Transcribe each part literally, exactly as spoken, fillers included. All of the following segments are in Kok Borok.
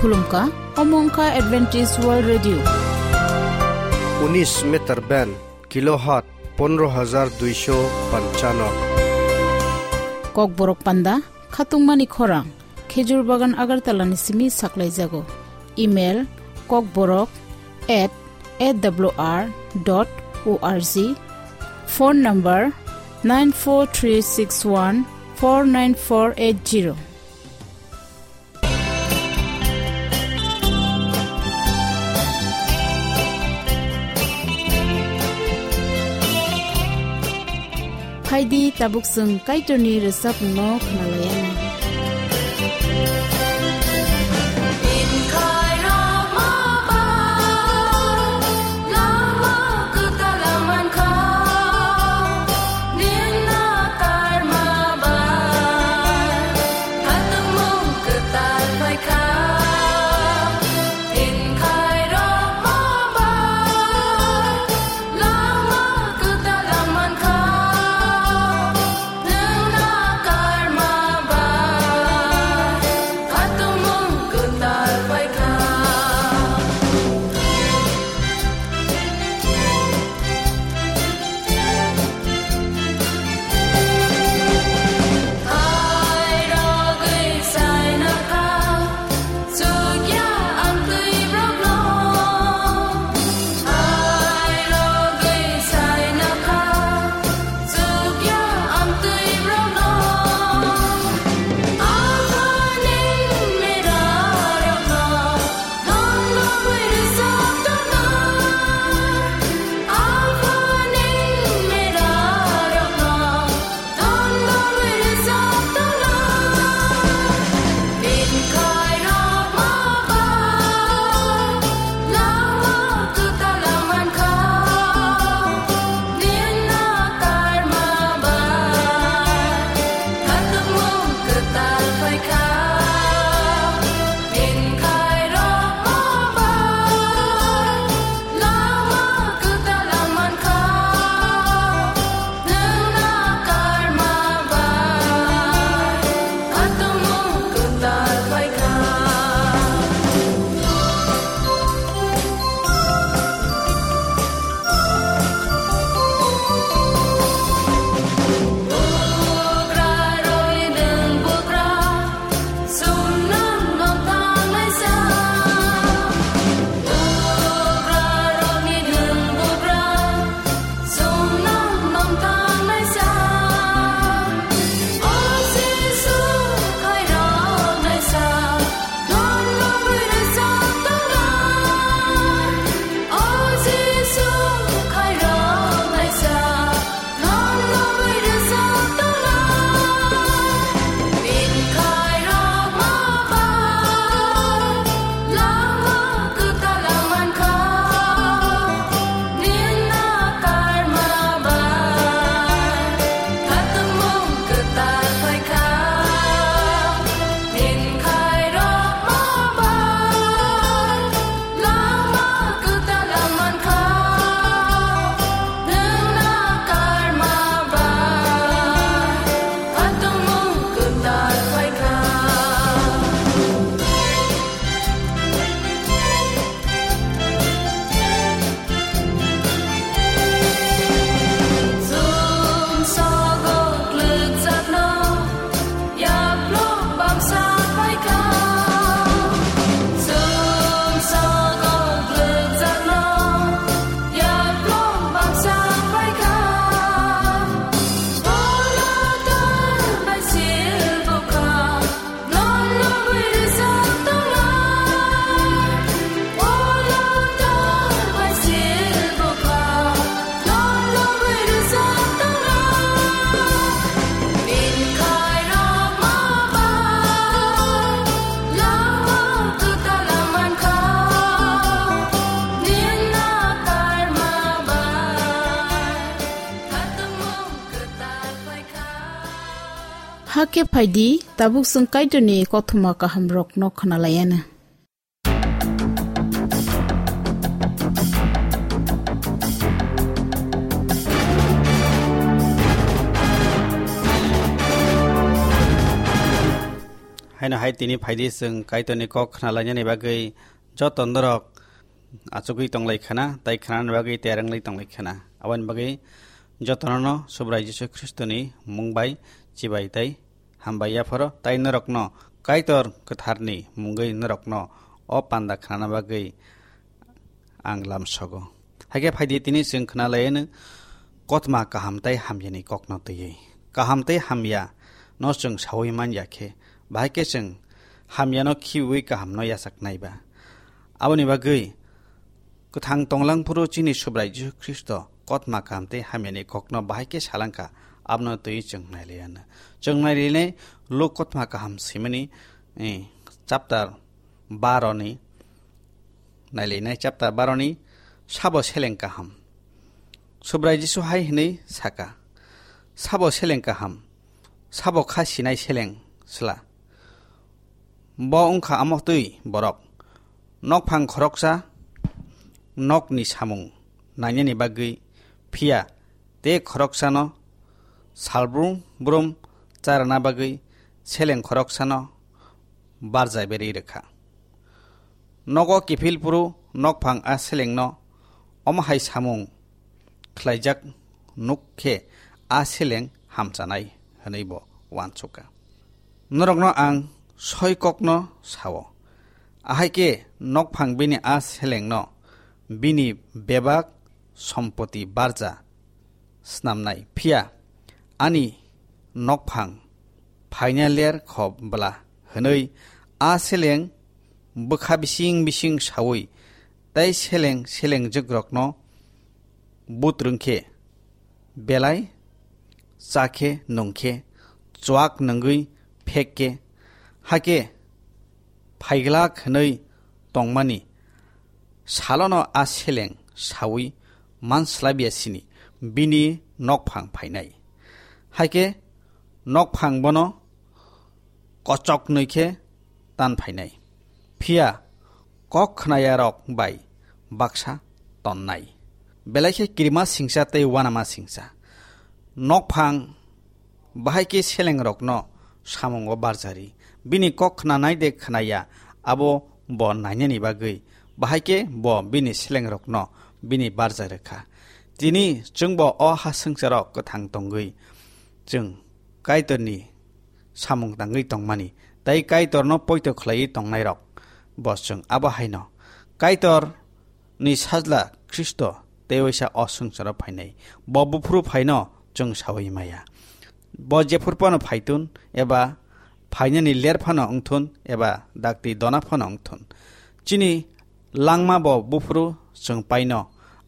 Khulumkha, omo wngkha Adventist World Radio. Unis meter band, kilohertz pondro hajar duisho panchano. Kokborok panda, khatungmani khorang, Khejur Bagan Agartala ni simi saklaijago. Email, kokborok at A W R dot O R G. Phone number, nine four three six one four nine four eight zero. Phaidi tabuk chwng Kaitorni rwchapmungno khwnalaianw. Lama kwtal mankha, nini karma bai, khatungmung kwtal phaikha. Tini khairokma bai, lama kwtal mankha, nini karma bai, khatungmung kwtal phaikha. Lama kwtal mankha, nwng na karma bai, khatungmung kwtal phaikha. Bukrarokni nwng bukra, sumnang nong tanglaisa. Bukrarokni nwng bukra, sumnang nong tanglaisa. O Jisu, khairoknaisa, nonno rwchap tongnai. O Jisu, khairoknaisa, Lama kwtal mankha, nwng na karma bai, khatungmung kwtal phaikha. Chwng sago kwlwkjakno, Yaplok bangsa phaikha, chwng sago gwlwkjakno. Yaplok bangsa phaikha, bono tor bai sil bwkha, nonno bui rwchap tongnai. Bono tor bai sil bwkha, Hakhe phaidi, tabuk chwng Kaitorni kothoma kahamrokno khwnalaianw. Haino hai tini phaidi chwng Kaitorni kok khna lainani bagwi joto norok achugwi tonglai khna, tai khnani bagwi tiyar wnglai tonglai khna. Aboni bagwi jotono no Subrai Jisu Khristoni mung bai chibai tai hambai yapharo, tai norokno Kaitor kwtharni mungwi norokno o panda khnana bagwi ang lamsogo. Haikhe phaidi tini chwng khna laiyano kotma kaham tai hamyani kokno twiwi. Kaham tai hamya no chwng sawi man ya khe, bahai khe chwng hamyano khibiwi kahamno yachak nai ba. Aboni bagwi kwthang tonglang phuru chini Subrai Jisu Khristo kotma kaham tei hamyani kokno bahai khe salangkha, abono twiwi chwng nailaiyano. Chwng nailainai Luk kotma kaham simani, eh, chapter baro ni nailainai chapter baro ni sabo seleng kaham. Subrai Jisu hai hwnwi saka, "Sabo seleng kaham, sabo kha sinai seleng sla? Bo wngkha amo twi borok, nokphang khoroksa nokni samung nainani bagwi, phiya tei khoroksano salbrum brum charana bagwi seleng khoroksano barja berwi rwkha. Nogo kiphil phuru nokphang a selengno omo hai samung khlaijak nuk khe a seleng hamchanai," hwnwi bo uansukha. Norokno ang soi kokno sao, ahai khe nokphang bini a selengno bini bebak sompoti barja snamnai, phiya ani nokphang phaina ler kho bwla, hwnwi a seleng bwkha bising bising saui tai seleng selengjwkrokno butrwng khe, belai cha khe nung khe, chuak nungwi phek khe, hakhe phaiglak hwnwi tongmani salono a seleng saui manslabya sini bini nokphang phainai. Hakhe nokphang bono kochoknwi khe tan phainai. Phiya kok khnayarok bai baksa tonnai. Belai khe kirima singcha tei uanama singcha. Nokphang bahai khe selengrokno samungo barjari. Bini kok khnanai de khnaya, abo bo nainani bagwi. Bahai khe bo bini selengrokno bini barja rwkha. Tini chwngbo o ha swngcharo kwthang tongwi chwng Kaitorni samung tangwi tongmani, tei Kaitorno poito khlaiwi tongnairok bo chwng abo haino Kaitor ni sajla Khristo tei waisa o swngcharo phainai. Bo buphuru phaino chwng saui maya. Bo jephuru phano phaitun eba phainani ler phano wngthun eba dakti dona phano wngthun. Chini langma bo buphuru chwng paino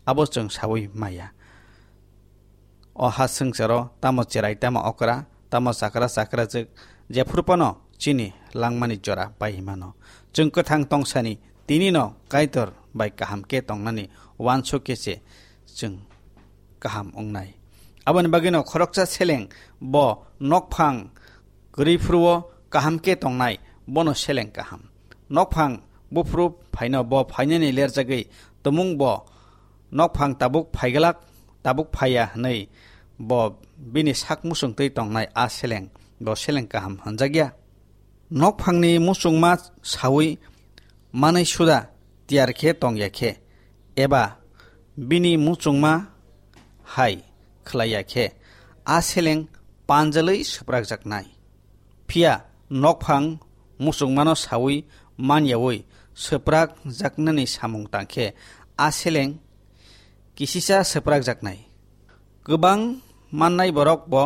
abo chwng saui maya. O ha swngcharo tamo cherai, tamo okra, tamo chakra chakrajwk, jephuru phano chini langmani jora pai mano. Chwng kwthang tongsani tinino Kaitor bai kaham khe tongnani uansuk khe se chwng kaham wngnai. Aboni bagwino khoroksa seleng bo nokphang kwrwi phuru-o kaham khe tongnai, bono seleng kaham. Nokphang buphuru phaino bo phainani lerjagwi tumung bo nokphang tabuk phaiglak, tabuk phaiya hwnwi bo bini sak muchungtwi tongnai a seleng, bo seleng kaham hwnjakya. Nokphangni muchungma saui manwi suda tiyar khe tongya khe, eba bini muchungma hai khlaiya khe, a seleng panjalwi swprakjaknai. Phiya nokphang muchungmano saui manyaui swprakjaknani samung tang khe, a seleng kisisa swprakjaknai. Kwbang mannai borok bo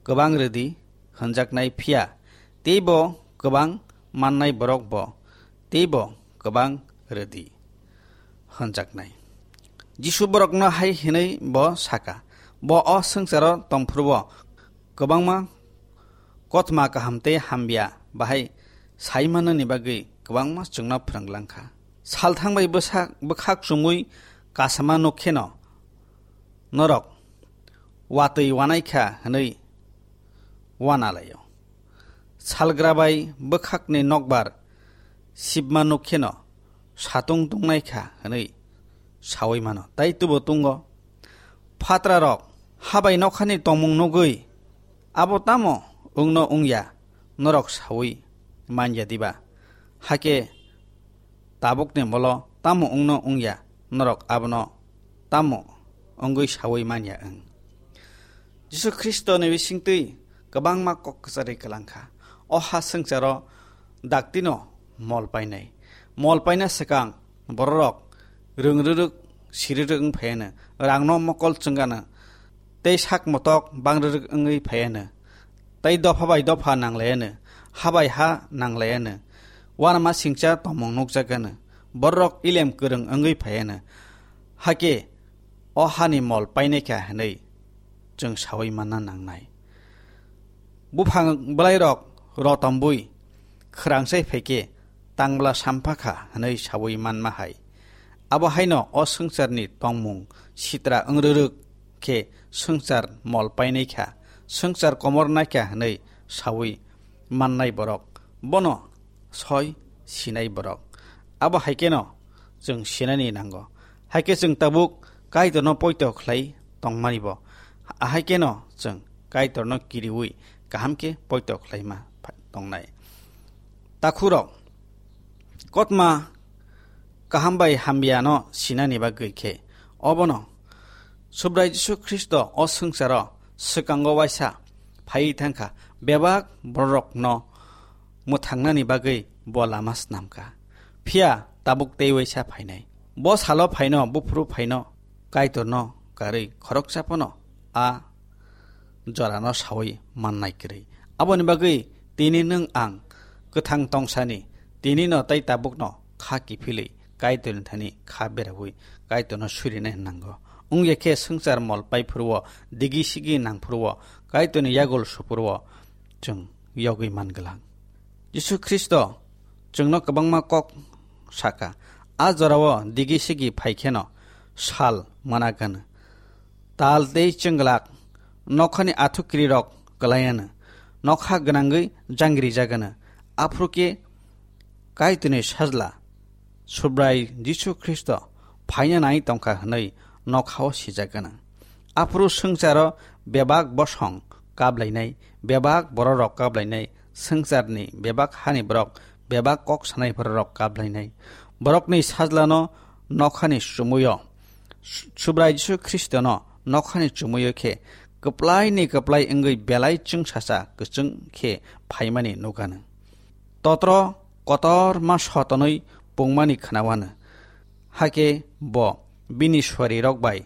kwbang rwdi hwnjaknai, phiya teibo kwbang mannai borok bo teibo kwbang rwdi hwnjaknai. Jisu borokno hai hwnwi bo saka, bo o swngcharo tongphuru-o kwbangma kotma kaham tei hamya bahai sai manani bagwi kwbangma chwngno phrwng langkha. Salthang bai bwsa-, bwkhak chumui kasama nuk kheno norok watwi wanaikha hwnwi wana laio. Salgra bai bwkhakni nokbar sibma nuk kheno satung tungnaikha hwnwi saui mano, tai tubo tungo. Phatrarok habai nokhani tongmung nugwi, "Abo tamo wngno wngya?" norok saui manya diba? Hakhe tabukni molo tamo wngno wngya, norok abono tamo wngwi sawi manya wng? Jisu Khristoni bisingtwi kwbangma kok kwcharwi kwlangkha. O ha swngcharo daktino mol painai. Mol paina swkang bororok rwngrwrwk sirirwk wng phaiano, rangno mokol chwngano, tei sak motok bangrwrwk wngwi phaiano, tei dopha bai dopha nanglaiano, ha bai ha nanglaiano, uanama singcha tongmung nukjagano, bororok ilem kwrwng wngwi phaiano, hakhe o hani mol painaikha hwnwi chwng sawi manna nangnai. Buphang bwlairok rotombwi khwrangsai phaikhe tangla sampha kha hwnwi sawi manma hai. Abo haino o swngcharni tongmung sitra wngrwrwk khe swngchar mol painaikha, swngchar komornaikha hwnwi sawi mannai borok, bono soi sinai borok. Abo hai kheno chwng sinani nango. Hai khe chwng tabuk Kaitorno poito khlai tongmani bo. Ahai kheno chwng Kaitorno kiriwi kaham khe poito khlaima pha-, tongnai. Takhurok, kotma kaham bai hamyano sinani bagwi khe obono Subrai Jisu Khristo o swngcharo swkango waisa phaiwi thangkha, bebak bororokno mwthangnani bagwi bo lama snamkha. Phiya tabuk tei waisa phainai. Bo salo phaino, buphuru phaino, Kaitorno karwi khoroksa phano a jorano sawi mannai kwrwi. Aboni bagwi tini nwng ang kwthang tongsani, tinino tei tabukno kha kiphilwi Kaitorni thani kha berawi Kaitorno surinai nango. Wngya khe swngchar mol pai phuruo, digi sigi nang phuruo, Kaitorni yagul su phuruo chwng yogwi man glak. Jisu Khristo chwngno kwbangma kok saka. A jorao digi sigi phai kheno sal mana gana. Tal tei chwnglak, nokhani athukiri rok kwlaiano, nokha gwnangwi jangri jagano. Aphuru khe Kaitorni sajla Subrai Jisu Khristo phaina nai tongkha hwnwi nokhao sijak gana. Aphuru swngcharo bebak bosong kablainai, bebak bororok kablainai, swngcharni bebak hani borok, bebak kok sanai bororok kablainai. Borokni sajlano nokhani chumuyo, Su-, Subrai Jisu Khristono nokhani chumuyo khe kwplaini kwplai wngwi belai chwngsacha kwchwng khe phaimani nukano. Totro kotorma sotonwi pungmani khnaoano. Hakhe bo bini suarirok bai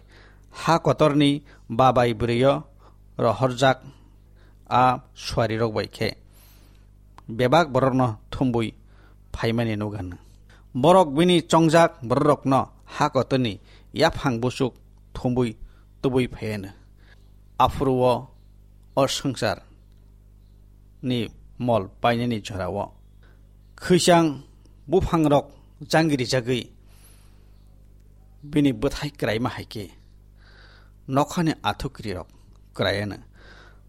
ha kotorni babai bwrwio rohorjak a suarirok bai khe bebak borokno thumbwi phaimani nukano. Borok bini chongjak bororokno ha kotorni yaphang buchuk thumbwi tubui phaiano. Aphuru o, o swngchar ni mol painani jorao khwichang buphangrok jangri jagwi bini bwthai kwraima hai khe nokhani athukiri rok kwraiano.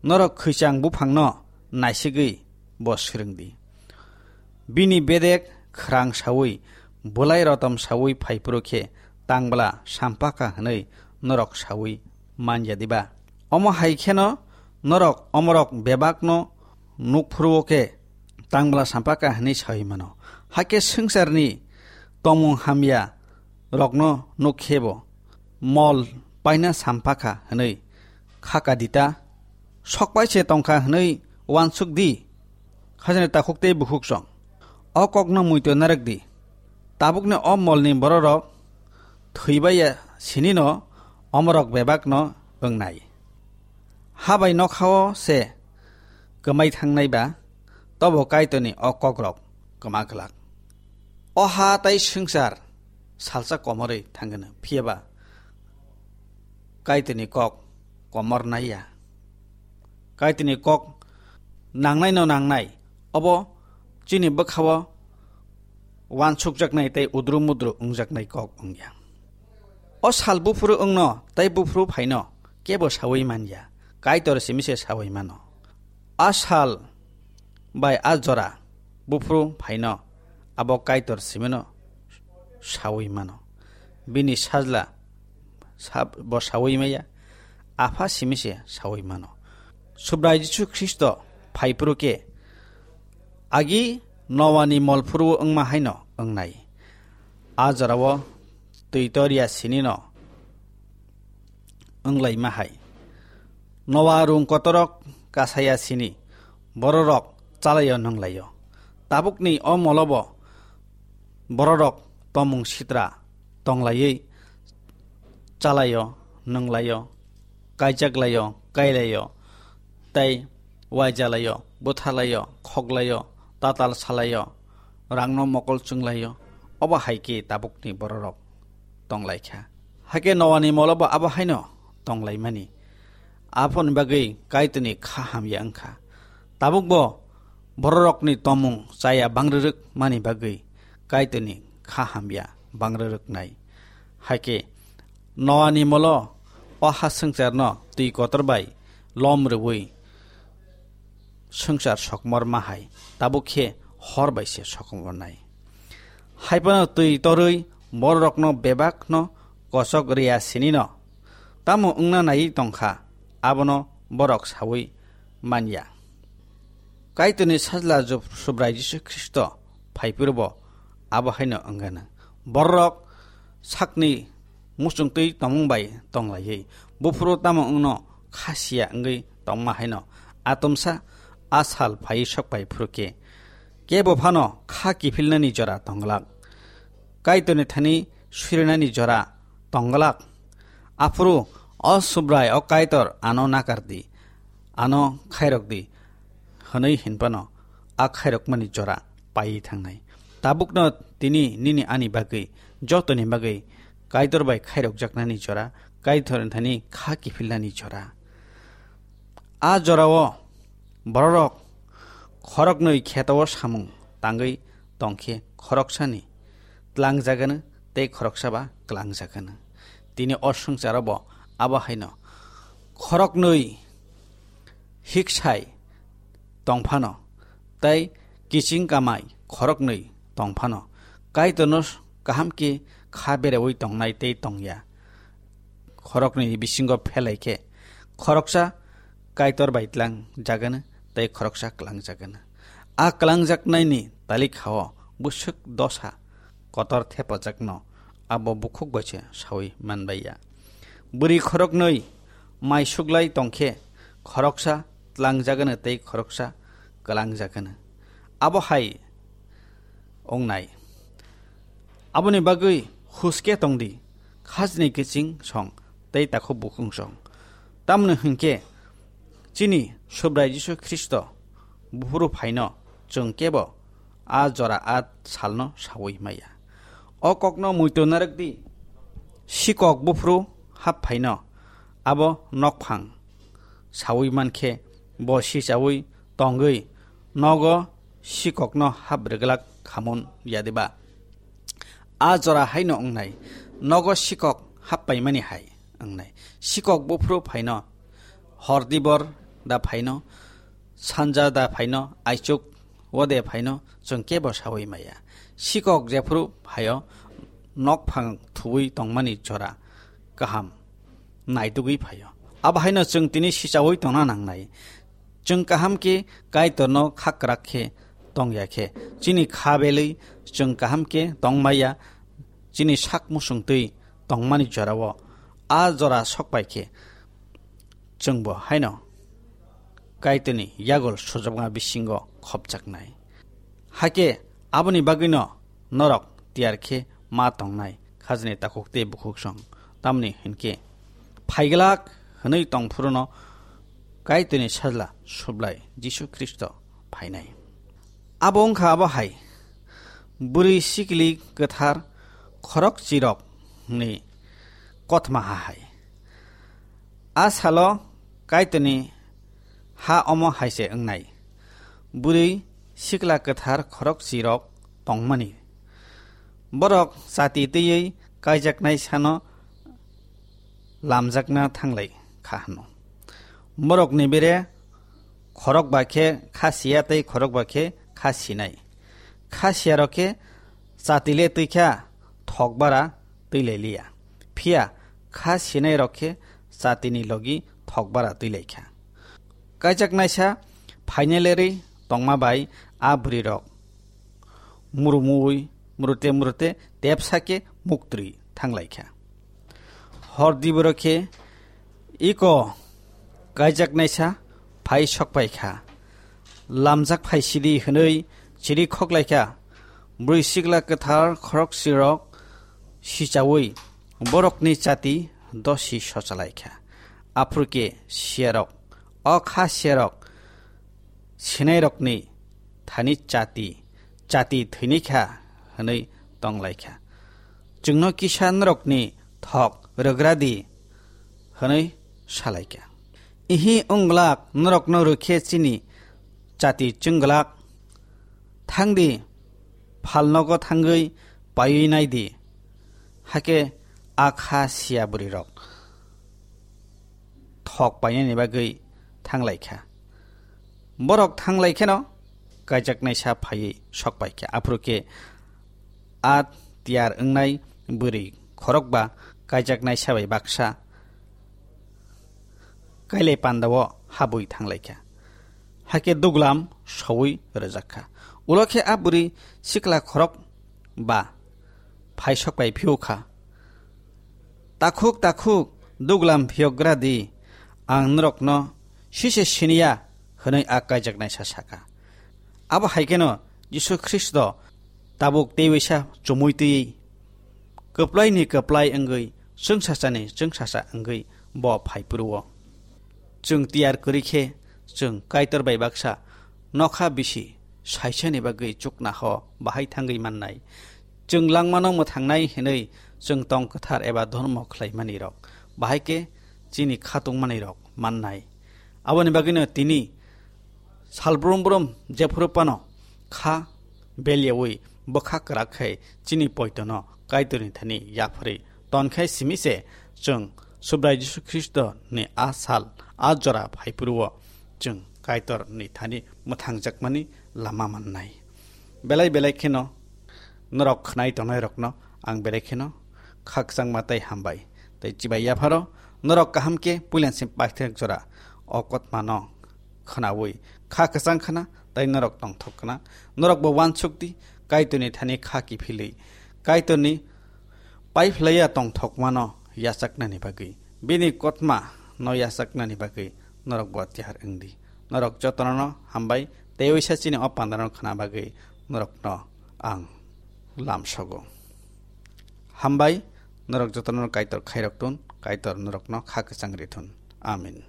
Norok khwichang buphangno naisigwi bo swrwng di. Bini bedek khwrang saui, bwlai rotom saui phaiphuru khe tangbla sampakha hwnwi norok saui man ya diba? Omo hai kheno norok omorok bebakno nukphuru-o khe tangbla sampakha hwnwi saui mano. Hakhe swngcharni tongmung hamya rokno nuk khe bo mol paina sampakha hwnwi kha ka di ta? Sok pai se tong kha hwnwi uansuk di, khajani takhuk tei bukhuk song. O kokno muitu narwk di. Tabukni o molni bororok thwi bai ya sinino omorok bebakno wngnai. Ha bai nokhao se kwmai thangnai ba, tobo Kaitorni o kokrok kwma glak. O ha tai swngchar salsa komorwi thangano, phiya ba Kaitorni kok komor nai ya. Kaitorni kok nangnai no nangnai, obo chini bwkhao uansukjaknai tei udru mudru wngjaknai kok wngya. O sal buphuru wngno tei buphuru phaino kebo saui man ya, Kaitor simi se saui mano. A sal bai a jora buphuru phaino abo Kaitor simino saui mano. Bini sajla sab-, bo saui maya, Apha simi se saui mano. Subrai Jisu Khristo phaiphuru khe agi Noani mol phuru wngma haino wngnai. A jorao twi torya sinino wnglaima hai. Noa rung kotorok kasaya sini bororok chalaio nwnglaio. Tabukni o molobo bororok tomung sitra tonglaiwi chalaio, nwnglaio, kaijaklaio, kailaio, tei waijalaio, bwthalaio, khoklaio, tatal salaio, rangno mokol chwnglaio, obo hai khe tabukni bororok tonglaikha. Hakhe Noani molobo abo haino tonglaimani. Aphoni bagwi Kaitorni kha hamya wngkha. Tabukbo bororokni tomung chaya bangrwrwk mani bagwi Kaitorni kha hamya bangrwrwknai. Hakhe Noani molo o ha swngcharno twi kotor bai lom rwui swngchar sokmor ma hai, tabuk khe hor bai se sokmornai. Hai phano twi torwi bororokno bebakno kochok rwya sinino tamo wngna naiwi tongkha, abono borok saui manya. Kaitorni sajla Jub-, Subrai Jisu Khristo phai phuru bo abo haino wngano. Borok sakni muchungtwi tongmung bai tonglaiwi, buphuru tamo wngno kha siya wngwi tongma haino, atomsa a sal phaiwi sok pai phuru khe, kebo phano kha kiphilnani jora tongglak. Kaitorni thani surinani jora tongglak. Aphuru o Subrai, o Kaitor, ano nakar di, ano khairok di, hwnwi hinphano a khairokmani jora paiwi thangnai. Tabukno tini nini ani bagwi, jotoni bagwi Kaitor bai khairokjaknani jora, Kaitorni thani kha kiphilnani jora. A jorao bororok khoroknwi kheto-o samung tangwi tongkhe khoroksani tlangjagano tei khoroksa ba klangjagano. Tini o swngcharo bo abo haino khoroknwi hiksai tongphano tei kiching kamai khoroknwi tongphano, Kaitorno kaham khe kha bereui tongnai tei tongya. Khoroknwi bisingo phelai khe, khoroksa Kaitor bai tlang jagano tei khoroksa klang jagano. A klang jaknaini talikhao bwswk dosa kotor thepajakno abo bukhuk bai se saui manbaiya. Bwrwi khoroknwi mai suklai tongkhe, khoroksa tlang jagano tei khoroksa klang jagano. Abo hai wngnai. Aboni bagwi huske tongdi, khajni kiching song tei takhuk bukhuk song. Tamni hwnkhe chini Subrai Jisu Khristo buphuru phaino chwng kebo a jora a salno saui maya. O kokno muitu narwk di, sikok buphuru hap phaino abo nokphang saui mankhe bo sichaui tongwi nogo sikokno hap rwglak khamun yadiba? A jora haino wngnai, nogo sikok hap paimani hai wngnai. Sikok buphuru phaino, hor dibor da phaino, sanja da phaino, aichuk wade phaino, chwng kebo saui maya. Sikok jephuru phaio, nokphang thuwi tongmani jora kaham naitugwi phaio. Abo haino chwng tini sichaui tongna nangnai. Chwng kaham khe Kaitorno khakrak khe tongya khe, chini kha belwi chwng kaham khe tongmaya, chini sak musung twi tongmani jorao a jora sokpai khe, chwngbo haino Kaitorni yagul sujokma bisingo khopjaknai. Hakhe aboni bagwino norok tiyar khe ma tongnai khajni takhuk tei bukhuk song, tamni hinkhe phaiglak hwnwi tongphuruno Kaitorni sajla Sublai Jisu Khristo phainai. Abo wngkha abo hai, bwrwi sikli kwthar khorok chirok ni kothoma ha hai. A salo Kaitorni ha omo hai se wngnai, bwrwi sikla kwthar khorok chirok tongmani. Borok chati twiwi kaijaknai sano lamjakna thanglai kha hwno. Borokni bere khorok ba khe kha siya tei khorok ba khe kha sinai. Kha siyarok khe chati le twi kha, thok bara twi lai liya. Phiya kha sinairok khe chatini logi thok bara twi lai kha. Kaijaknaisa phainalerwi tongma bai a bwrwirok murumui, murute murute tepsa khe muktri thanglaikha. Hor diboro khe iko kaijaknaisa phai sokpaikha. Lamjak phaisidi hwnwi chiri khoklaikha. Bwrwi sikla kwthar khoroksirok sichaui borokni chati dosi sochalaikha. Aphuru khe siyarok, o kha siyarok sinairokni thani chati, chati thwinikha hwnwi tonglaikha. Chwngno kisa norokni thok rwgradi hwnwi salaikha. Ihi wnglak norokno rwkhe chini chati chwng glak. Thangdi, phalnogo thangwi paiwi naidi. Hakhe a kha siya bwrwirok thok painani bagwi thanglaikha. Borok thanglaikheno kaijaknaisa phaiwi sokpaikha. Aphuru khe a tiyar wngnai bwrwi khorokba kaijaknaisa bai baksa kailai pandao habwi thanglaikha. Hakhe duglam soui rwjakha. Ulo khe a bwrwi sikla khorok ba phaisok bai phiyokha. "Takhuk, takhuk, duglam phiyokgra di, ang norokno sise siniya," hwnwi a kaijaknaisa sakha. Abo hai kheno Jisu Khristo tabuk teiwisa chumui twi kwplaini kwplai wngwi, chwngsasani chwngsasa wngwi bo phai phuru-o. Chwng tiyar kwrwi khe, chwng Kaitor bai baksa nokha bisi saisani bagwi chukna ho bahai thangwi mannai. Chwng langmano mwthangnai hwnwi chwng tong kwthar eba dhormo khlaimani rok, bahai khe chini kha tongmani rok mannai. Aboni bagwino tini salbrum brum jephuru phano kha belyaui bwkha kwrak khai chini poitono Kaitorni thani yapharwi tonkhai simi se chwng Subrai Jisu Khristo ni a sal, a jora phaiphuru-o chwng Kaitor ni thani mwthangjakmani lama mannai. Belai belai kheno norok khnai tongnai rokno ang belai kheno khakchangma tei hambai tei chibai yapharo. Norok kaham khe puilansi paithak jora o kotmano khnaui kha kwchang khna tei norok tongthok khna. Norok bo uansuk di, Kaitorni thani kha kiphilwi, Kaitorni paiphlaiya tongthokmano yachaknani bagwi, bini kotma no yachaknani bagwi norok bo tiyar wng di. Norok jotono no hambai tei uisa chini o pandano khna bagwi norokno ang lamsogo. Hambai, norok jotono Kaitor khairok tun, Kaitor norokno kha kwchang ri thun. Amen.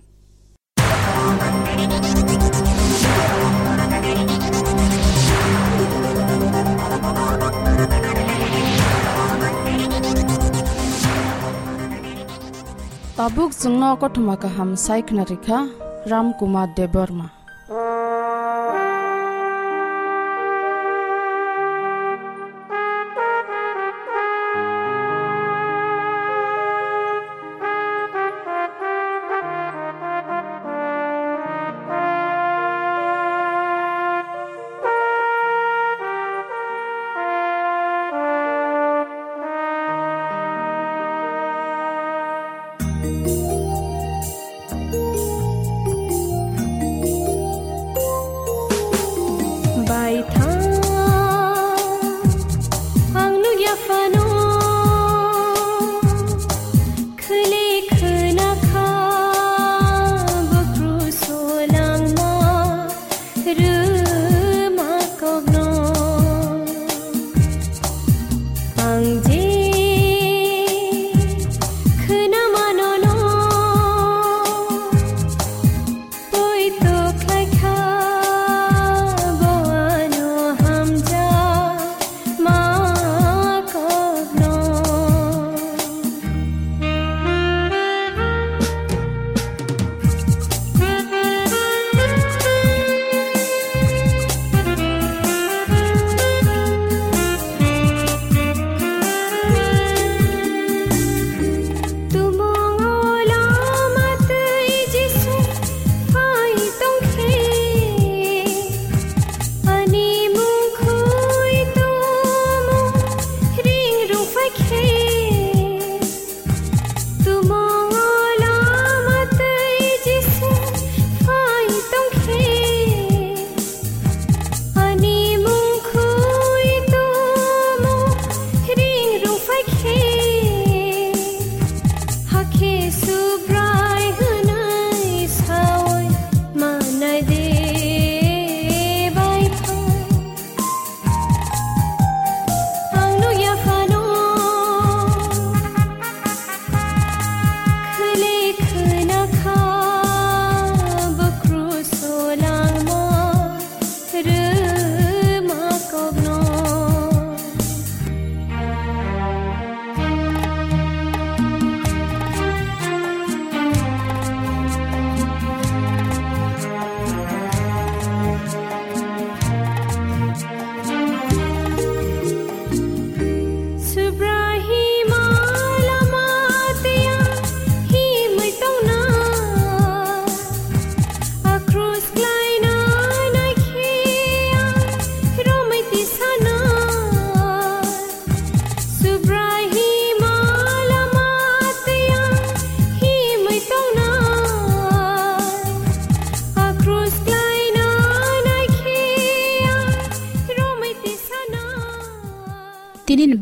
Tabuk chwngno kothoma kaham sai khna rikha Ram Kumar Debbarma. Baitha ang nukya phano khwlwi khwnakha bukru solangma rwma kokno. Ang je khwna mano no, poito khlai kha bo ano hamjakma kokno.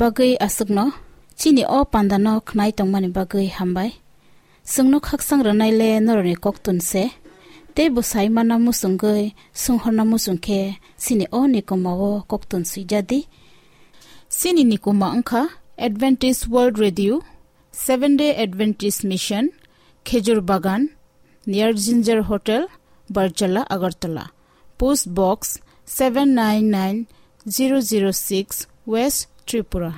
Bagwi aswkno chini o pandano khnai tongmani bagwi hambai. Chwngno khaksang rwnaile norokni koktun se. Tei bwsai mana muchungwi swnghorna muchung khe chini o nikuma o koktun swijadi. Chini nikuma wngkha Adventist World Radio, Seventh Day Adventist Mission, Khejur Bagan, near Ginger Hotel, Barjala, Agartala. Post Box seven nine nine zero zero six, West Tripura.